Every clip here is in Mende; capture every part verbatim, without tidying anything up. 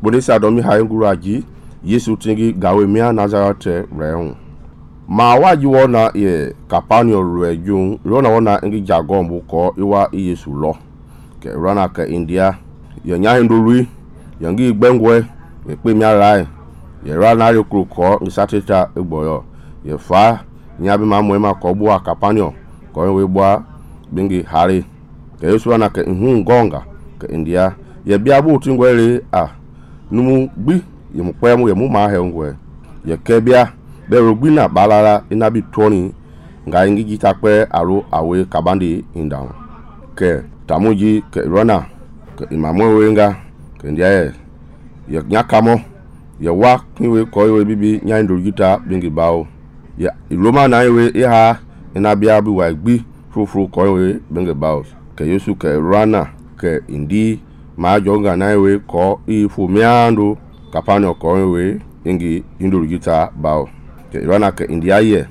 bonisa domi hayi nguraji Yesu tingi gawe mia Nazareth rehu ma waji wona ye Capernaum reju rona wona ngi jagon bu ko iwa Yesu lo ke rana ke India ye nya hindului ye ngi gbengwe ye pe mia rai ye rana ri kruko ngi sateta egboyo ye fa nya bi ma moema ko bu Capernaum ko we bua bingi hari ke Yesu rana ke hu ngonga ke India ye bia bu tingwele a numu gbi ye mu kwemu ye mu ma he ngwe ye kebia be rogbina balala ina bi toni nga ngi jita kwe aro awe kabandi indown ke tamuji ke rona ke imamo wenga ke ndiaye ye nyakamo ye wa kiwe koyo bibi nyaindo jita bingi bawo ye Roma na yewe iha ina bia bi wa gbi frufru koyo bingi bawo ke Yesu ke rana ke indi ma jonga na yewe ko ifu miando Capernaum ko we ingi indulu gita bao ke rana ke India ye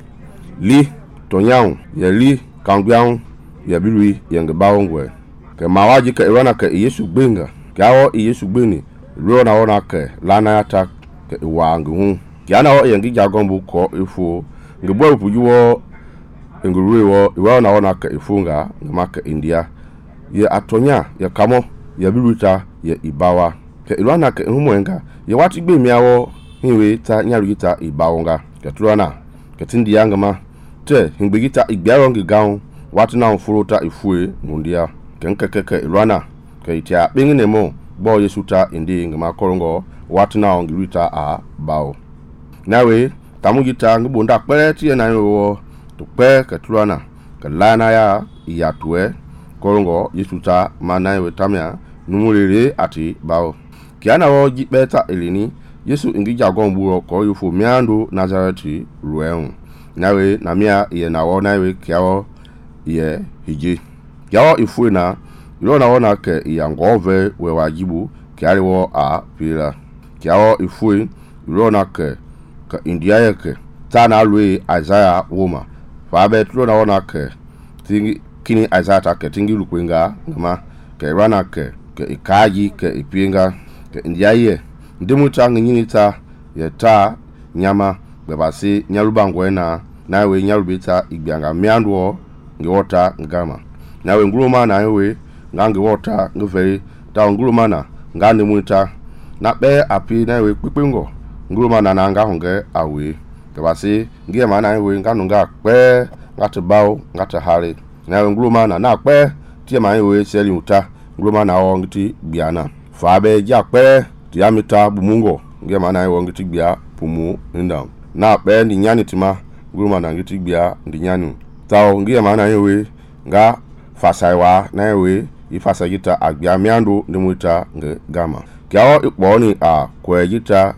li tonyang ye li kangbiang ye bilui ye ngbawo ngwe ke mawaji ke rana ke Yesu gbenga gawo Yesu gbeni rona wona ke lana ata ke wa ngu yana wo ye ngi jagombu ko ifu ngbo pujuwo ngurue wo iwa na wona ke ifunga ngama ke India ye atonya ye kamo ye biluta ye ibawa ke rana ke humwenga ye wati gbe miawo hiwe ta nyarugita ibawonga ke turana ke tindi yangama te hingbegita igbiarongi gaun wati na mfuruta ifue mundia ke nkekeke rana ke itia binginemo bo Yesu ta indi ngama korongo wati na ongirita a bawo nawe tamugita ngibonda pere tie na yo to pe ke turana ke lana ya iyatwe korongo Yesu ta manawe tamia numurere ati bawo kiana wo jipeta elini Yesu ingi jagon buo ko yufu miando Nazareti ruenu nawe na mia ye na wo nawe kiawo ye hiji kiawo ifu na ilo na wona ke yangove we wajibu kiali wo a pila kiawo ifu ilo na ke ka India yake tana lui Isaiah woma fa be tulo na wona ke tingi kini Isaiah ta ke tingi lukwenga ngama ke rana ke ke ikaji ke ipinga ke India ye ndimuta nginyita ye ta nyama bebasi nyalubangwe na nawe nyalubita igbianga miandwo ngiwota ngama nawe nguruma na yewe ngangi wota ngveri ta nguruma na ngani muta na be api nawe kpikpingo nguruma na na nga honge awe bebasi ngie ma na yewe nganu nga pe ngate bawo ngate hare nawe nguruma na na pe tie ma yewe seli uta nguruma na o ngiti biana fa be ja pe diamita bumungo nge mana yo ngiti bia pumu ndam na pe ndi nyani tima guruma na ngiti bia ndi nyanu tawo nge mana yewe nga fasaiwa na yewe ifasa gita agbia miando ndimuta nge gama kyawo ikponi a kwejita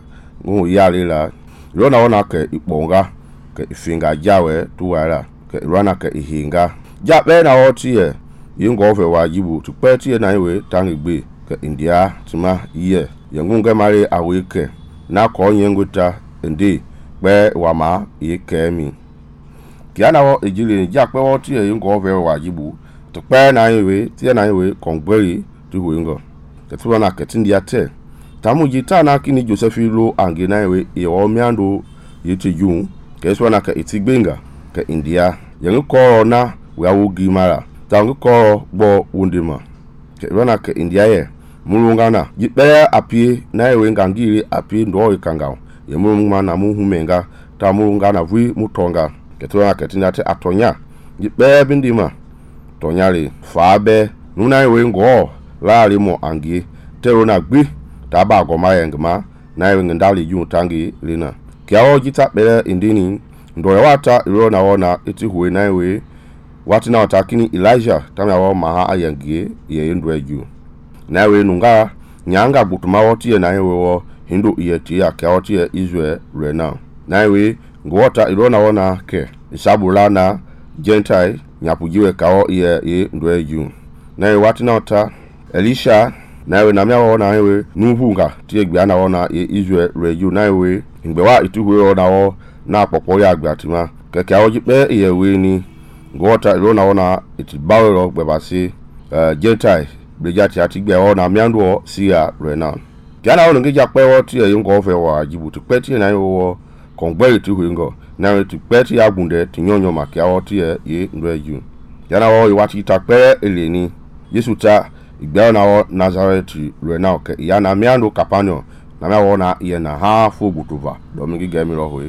ngu yalila rona wona ke ikponga ke ifinga jawe tuwala ke rona ke ihinga ja pe na wotie yingo fe wajibu tupe tie na yewe tangigbe ke India tima ye yengunge mari awike na ko nyenguta ndi pe wama yekemi kiana wo ejile ja pe wo tie yingo ve wajibu to pe na yewe tie na yewe kongberi tu huingo ke tuwa na ke tindi ate tamu jita na kini Josephilo ange na yewe e wo miando yete jun ke so na ke itigbenga ke India yengo na we awugi mara tangu ko bo wundima ke rona ke India ye mulungana jipere apie na yewe ngangiri apie ndo ikanga ye mulunga na muhumenga ta mulungana vui mutonga ketwa ketina te atonya jipere bindima tonyari fabe nuna yewe ngo lali mo angi terona gbi ta ba goma yengma na yewe ngandali ju tangi lina kiawo jita bere indini ndo wata ilo na wona iti huwe na yewe wati na watakini Elijah tamya wa maha ayangie ye ndo eju nawe nunga nyanga gutuma wotie na yewe wo hindu iyeti ya ka wotie Israel rena nawe ngwota ilona wona ke isabulana Gentile nyapujiwe kao iye ye ndo eju nawe wati na ota Elisha nawe namya wona yewe nuhunga tie gbia na wona ye Israel reju nawe ngbewa ituwe wona wo na popo ya agbatima keke awojipe iye we ni ngwota ilona wona itibawero gbebasi uh, Gentile Brigati atigbe ona miando sia rena Jana wo ngi jakpe wo ti ye ngo fe wa jibu ti pe ti na yo kongbe ti hu ngo na ti pe ti agunde ti nyonyo ma kia wo ti ye ye ndo ju. Jana wo yi wati ta pe eleni Yesu ta igbe na wo Nazareth lo na ke ya na miando Capernaum na ma wo na ye na ha fu butuva do mi ge mi ro ho